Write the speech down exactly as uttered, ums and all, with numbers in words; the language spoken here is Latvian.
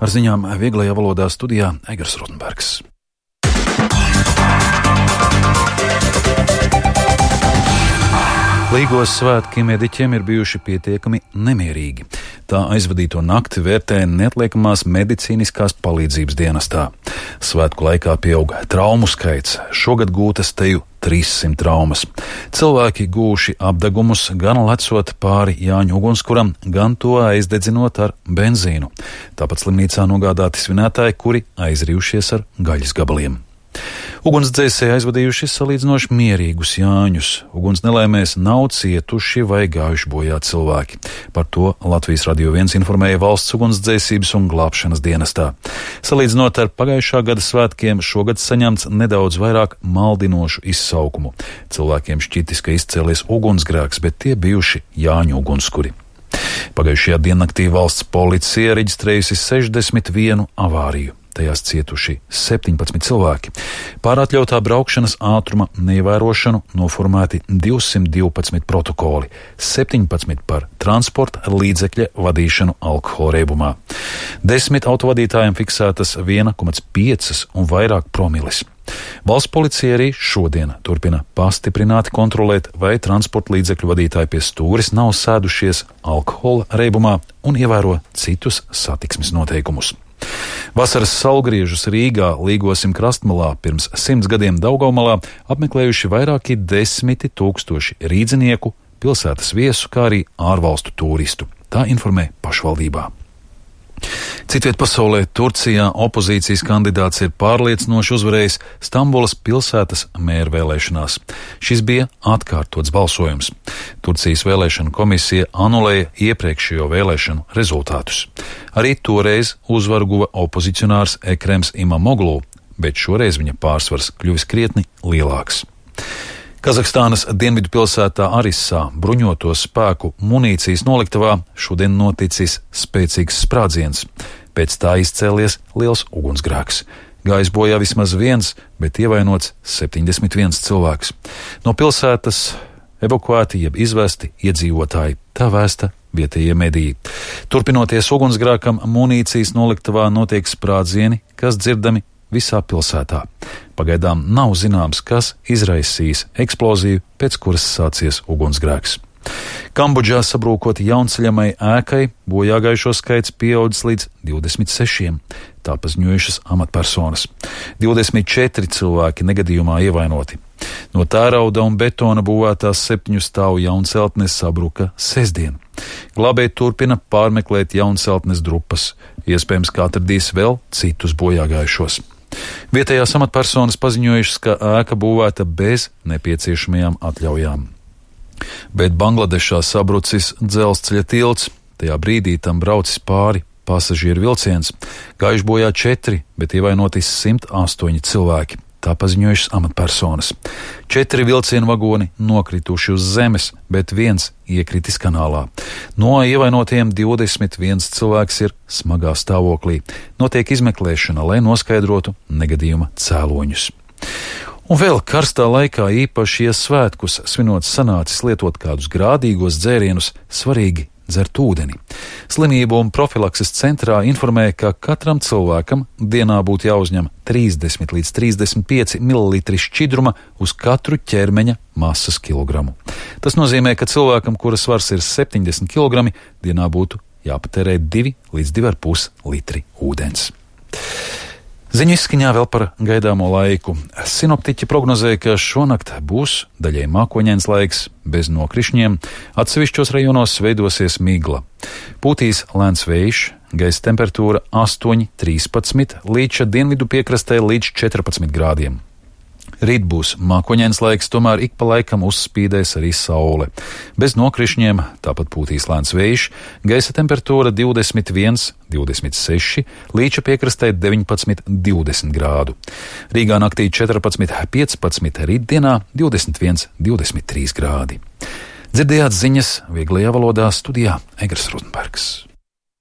Ar ziņām vieglajā valodā studijā Egars Rotenbergs. Līgos svētki mediķiem ir bijuši pietiekami nemierīgi. Tā aizvadīto nakti vērtē neatliekamās medicīniskās palīdzības dienestā. Svētku laikā pieaug traumu skaits, šogad gūtas teju trīssimt traumas. Cilvēki gūši apdegumus gan lecot pāri Jāņu ugunskuram, gan to aizdedzinot ar benzīnu. Tāpat slimnīcā nogādāti svinētāji, kuri aizrījušies ar gaļas gabaliem. Ugunsdzēsēji aizvadījuši salīdzinoši mierīgus Jāņus. Uguns nelaimēs nav cietuši vai gājuši bojā cilvēki. Par to Latvijas Radio viens informēja Valsts ugunsdzēsības un glābšanas dienestā. Salīdzinot ar pagājušā gada svētkiem, šogad saņemts nedaudz vairāk maldinošu izsaukumu. Cilvēkiem šķitis, ka izcēlies ugunsgrēks, bet tie bijuši Jāņu ugunskuri. Pagājušajā diennaktī valsts policija reģistrējusi sešdesmit vienu avāriju. Tajās cietuši septiņpadsmit cilvēki. Pār atļautā braukšanas ātruma neievērošanu noformēti divsimt divpadsmit protokoli, septiņpadsmit par transporta līdzekļa vadīšanu alkohola reibumā. Desmit autovadītājiem fiksētas viena komats pieci un vairāk promilis. Valsts policija arī šodien turpina pastiprināti kontrolēt, vai transporta līdzekļu vadītāji pie stūres nav sēdušies alkohola reibumā un ievēro citus satiksmes noteikumus. Vasaras saulgriežus Rīgā, Līgosim krastmalā, pirms simts gadiem Daugavmalā apmeklējuši vairāki desmiti tūkstoši rīdzinieku, pilsētas viesu, kā arī ārvalstu turistu. Tā informē pašvaldībā. Citviet pasaulē, Turcijā, opozīcijas kandidāts ir pārliecinoši uzvarējis Stambulas pilsētas mēra vēlēšanās. Šis bija atkārtots balsojums. Turcijas vēlēšanu komisija anulēja iepriekšējo vēlēšanu rezultātus. Arī toreiz uzvaru guva opozicionārs Ekrems Imamoglu, bet šoreiz viņa pārsvars kļuvis krietni lielāks. Kazahstānas dienvidu pilsētā Arissā, bruņoto spēku munīcijas noliktavā, šodien noticis spēcīgs sprādziens. Pēc tā izcēlies liels ugunsgrēks. Gājis bojā vismaz viens, bet ievainots septiņdesmit viens cilvēks. No pilsētas evakuēti jeb izvesti iedzīvotāji, tā vēsta vietējie mediji. Turpinoties ugunsgrēkam, munīcijas noliktavā notiek sprādzieni, kas dzirdami visā pilsētā. Pagaidām nav zināms, kas izraisīs eksploziju, pēc kuras sācies ugunsgrēks. Kambodžā sabrūkot jaunceļamai ēkai, bojāgājušo skaits pieaudzis līdz divdesmit sešiem. Tā paziņojušas amatpersonas. divdesmit četri cilvēki negadījumā ievainoti. No tērauda un betona būvētās septiņu stāvu jaunceltnes sabruka sestdien. Glābēji turpina pārmeklēt jaunceltnes drupas. Iespējams, ka atradīs vēl citus bojāgājušos. Vietējās amatpersonas paziņojušas, ka ēka būvēta bez nepieciešamajām atļaujām. Bet Bangladešā sabrucis dzelzceļa tilts. Tajā brīdī tam braucis pāri pasažieru vilciens. Gājuši bojā četri, bet ievainoti simt astoņi cilvēki. Tā paziņojušas amatpersonas. Četri vilcienu vagoni nokrituši uz zemes, bet viens iekritis kanālā. No ievainotiem divdesmit viens cilvēks ir smagā stāvoklī. Notiek izmeklēšana, lai noskaidrotu negadījuma cēloņus. Un vēl karstā laikā, īpaši, ja svētkus svinot sanācis lietot kādus grādīgos dzērienus, svarīgi dzert ūdeni. Slimību un profilakses centrā informē, ka katram cilvēkam dienā būtu jāuzņem trīsdesmit līdz trīsdesmit pieci mililitri šķidruma uz katru ķermeņa masas kilogramu. Tas nozīmē, ka cilvēkam, kura svars ir septiņdesmit kilogrami, dienā būtu jāpatērē divi līdz divi ar pus litri ūdens. Ziņu izskaņā vēl par gaidāmo laiku. Sinoptiķi prognozēja, ka šonakt būs daļai mākoņains laiks, bez nokrišņiem, atsevišķos rajonos veidosies migla. Pūtīs lēns vējš, gaisa temperatūra astoņi trīspadsmit, līča dienvidu piekrastē līdz četrpadsmit grādiem. Rīt būs mākoņains laiks, tomēr ik pa laikam uzspīdēs arī saule. Bez nokrišņiem, tāpat pūtīs lēns vējš, gaisa temperatūra divdesmit viens, divdesmit seši, līča piekrastē deviņpadsmit, divdesmit grādu. Rīgā naktī četrpadsmit, piecpadsmit, rītdienā divdesmit viens, divdesmit trīs grādi. Dzirdējāt ziņas vieglajā valodā studijā Egars Rotenbergs.